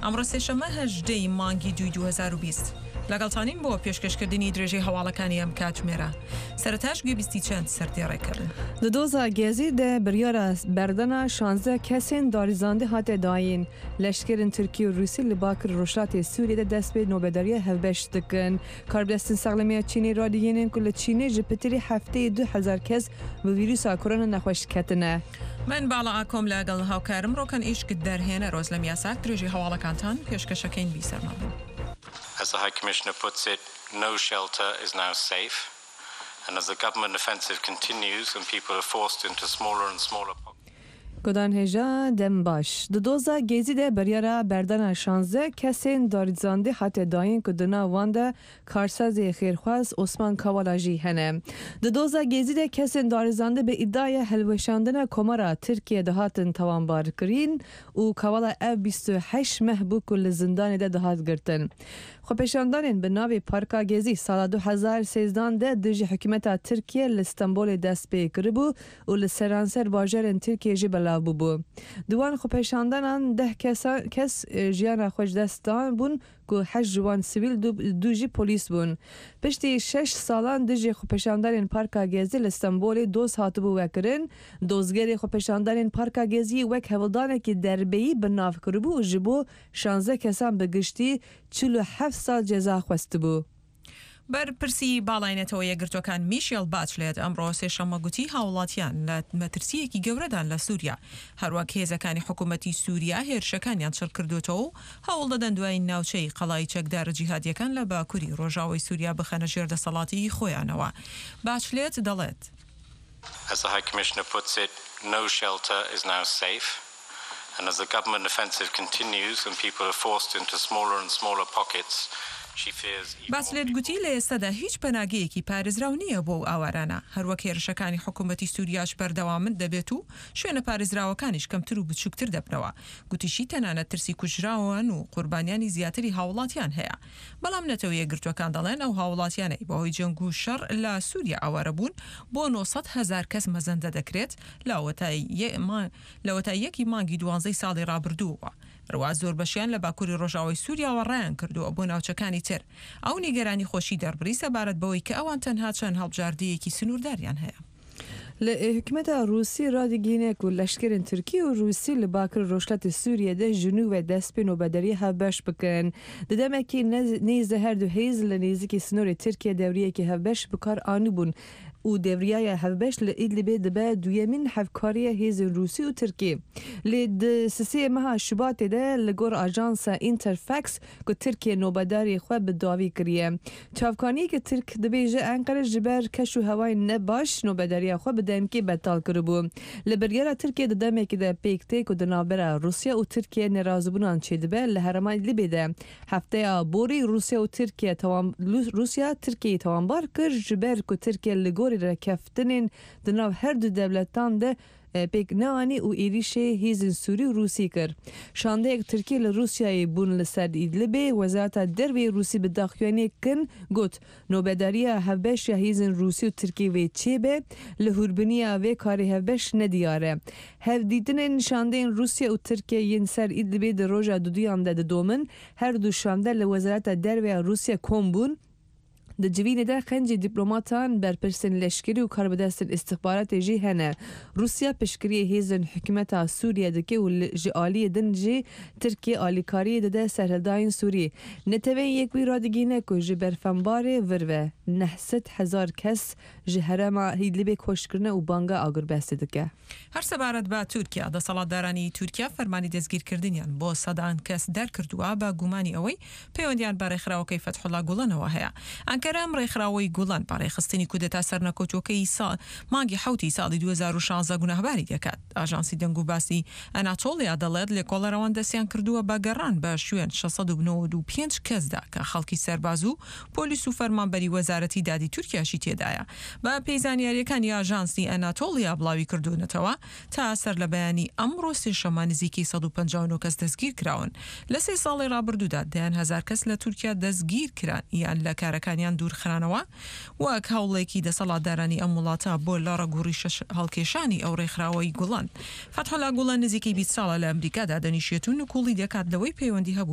ئەمڕۆ سێشەممە هەژدە ی مانگی دووی 2020 لەگەڵتانین بۆ پێشکەشکردنی درێژەی هەواڵەکانی ئەم کاتژمێرە. سەرەتاش گوێبیستی چەند سەردێڕێک ئەبن. Di doza Gezî de biryara berdana şanzdeh kesên darizandî hate dayîn. Leşkerên Tirkî û Rûsî li Bakir Rojhilatê Sûriyê de dest bi nobedariya hevbeş dikin. Karbidestên Saxlemiya Çînê radigihînin ku li Çînê ji pitirî hefteyê 2000 kes bi vîrusa korona nexweş ketine. من باڵا ئاکۆم لەگەڵ هاوکارم ڕۆکەن ئیشک دەرهێنەر ئۆزلەم یاساک درێژەی هەواڵەکانتان پێشکەشەکەین بیسەرمان بن. As the High Commissioner puts it, no shelter is now safe and as the government offensive continues and people are forced into smaller and smaller pockets. Godan hêja dem baş. Di doza Gezî de biryara berdana şanzdeh kesên darizandî hate dayîn ku di nav wan de Karsazê xêrxwaz Osman Kavala jî hene. Di doza Gezî de kesên darizandî bi îdiaya hilweşandina Komara Tirkiye dihatin tawanbarkirin û Kavala ev 28 meh bû ku li zindanê de dihat girtin. Xwepêşandanên bi navê Parka Gezî sala 2013 de dijî hikûmeta Tirkiye li Stenbolê dest pê kiribû û li seranser bajarên Tirkiye jî belav bûbû. Di wan xwepêşandanan deh kes jiyana xwe ji dest dan bûn ku heşt ji wan sivîl du jî polîs bûn. Piştî şeş salan dijî xwepêşandanên Parka Gezî li Stenbolê doz hatibû vekirin, dozgerê xwepêşandanên Parka Geziyê wek hewldanekî derbeyî bi nav kiribû û ji bo şanzdeh kesan bi giştî 47 sal ceza xwestibû. بەرپرسی باڵای نەتەوە یەکگرتووەکان میشێل باچلێت ئەمڕۆ سێشەممە گوتی هاوڵاتیان لە مەترسییەکی گەورەدان لە سوریا، هەروەک هێزەکانی حکومەتی سوریا هێرشەکانیان چڕکردووەتەوە و هەوڵدەدەن دوایین ناوچەی قەڵای چەکدارە جیهادییەکان لە باکوری ڕۆژاوای سوریا بخەنە ژێر دەسەڵاتی خۆیانەوە. باچلێت دەڵێت. As the High Commissioner puts it, no shelter is now safe and as the government offensive continues and people are forced into smaller and smaller pockets, she fears even more باچلێت people. گوتی لە ئێستادا هیچ پەناگەیەکی پارێزراو نییە بۆ ئەو ئاوارانە، هەروەک هێرشەکانی حکومەتی سوریاش بەردەوامن دەبێت و شوێنە پارێزراوەکانیش کەمتر و بچووکتر دەبنەوە. گوتیشی تەنانەت ترسی کوژراوان و قوربانیانی زیاتری هاوڵاتیان هەیە. بەڵام نەتەوە یەکگرتووەکان دەڵێن ئەو هاوڵاتیانەی بەهۆی جەنگ و شەڕ لە سوریا ئاوارە بوون بۆ 900 هەزار کەس مەزەندە دەکرێت لەوەتای یەکی مانگی دوانزەی ساڵی ڕابردووەوە هەروا زۆربەشیان لە باکوری ڕۆژاوای سوریاوە ڕایان کردووە بۆ ناوچەکانی تر. ئەو نیگەرانی خۆشی دەربڕی سەبارەت بەوەی کە ئەوان تەنها چەند هەڵبژاردەیەکی سنوورداریان هەیە. Li hikûmeta Rûsî radigihîne ku leşkerên Tirkî û Rûsî li Bakir Rojhilatê Sûriyê de ji nû ve dest pê nobederiyê hevbeş bikin. Di demekî nêz de her du hêz li nêzîkî sinorê Tirkiye dewriyekî hevbeş bi kar anîbûn û dewriyaya hevbeş li Idlibê dibe duyemîn hevkariya hêzên Rûsî û Tirkî. Lê di sisê meha Şubatê de li gor ajansa Interfax ku Tirkiye nobedarê xwe bi dawî kiriye. Çavkaniyeke Tirk dibêje Enqere ji ber keş û hewayên ne baş nobedariya xwe bi demkê betal kiribû. Li biryara Tirkiye di demekê de pêk tê ku di navbera Rûsya û Tirkiye nerazîbûnan çêdibe li herêma Idlibê de. Hefteya borî Rûsya û Tirkiye Rûsya Tirkiyeyê tawanbar kir ji ber ku Tirkiye li gorî rekeftinên di nav her du dewletan de pêk neanî û êrişê hêzên Sûrî û Rûsî kir. Şandeyek Tirkiye li Rûsyayê bûn li ser Idlibê, Wezareta Derveyê Rûsî bi daxuyaniyek kin got, Nobedariya hevbeş ya hêzên Rûsî û Tirkiyê wê çêbe, li hûrbiniya vê karê hevbeş nediyar e. Hevdîtinên şandeyên Rûsya û Tirkiye yên ser Idlibê di roja duduyan de didomin, her du şande li Wezareta Derve ya Rûsya kom bûn. Di civînê de xencî dîplomatan, berpirsên leşkerî û karbidestên îstixbaratê jî hene. Rûsya piştgiriyê hêzên hikûmeta Sûriye dike û ji aliyê din jî Tirkiye alîkariyê dide serhildayên Sûrî. Neteweyên Yekbûyî radigihîne ku ji berfembarê vir ve 900 hezar kes ji herêma Idlibê koç kirine û banga agirbestê dike. هەر سەبارەت بە تورکیا، دەسەڵاتدارانی تورکیا فەرمانی دەستگیرکردنیان بۆ سەدان کەس دەرکردووە بە گومانی ئەوەی پەیوەندیان بە رێکخراوەکەی فەتحوڵا گوڵەنەوە هەیە. ئەنکەرە ئەم رێکخراوەی گوڵەن بە رێکخستنی کودەتا سەرنەکەوتووەکەی مانگی حەوتی ساڵی 2016 گوناهباری دەکات. ئاژانسی دەنگوباسی ئەناتۆڵیا دەڵێت لێکۆڵەرەوان دەستیان کردووە بە گەڕان بە شوێن 695 کەسدا کە خەڵکی سەرباز و پۆلیس و فەرمانبەری وەزارەتی دادی تورکیاشی تێدایە. بە پێی زانیارییەکانی ئاژانسی ئەناتۆڵیا بڵاوی کردوونەتەوە، تا سەرلەبەیانی ئەمڕۆ سێشەممە نزیکەی 159 کەس دەستگیرکراون. لە سێ ساڵی ڕابردوودا دەیان هەزار کەس لە تورکیا دەستگیرکران یان لە کارەکانیان دوورخرانەوە، وەک هەوڵێکی دەسەڵاتدارانی ئەم وڵاتە بۆ لە ڕەگ و ڕیشە هەڵکێشانی ئەو ڕێکخراوەی گوڵەن. فەتحوڵا گوڵەن نزیکەی 20 ساڵە لە ئەمریکا دادەنیشێت و نکوڵی دەکات لەوەی پەیوەندی هەبوو.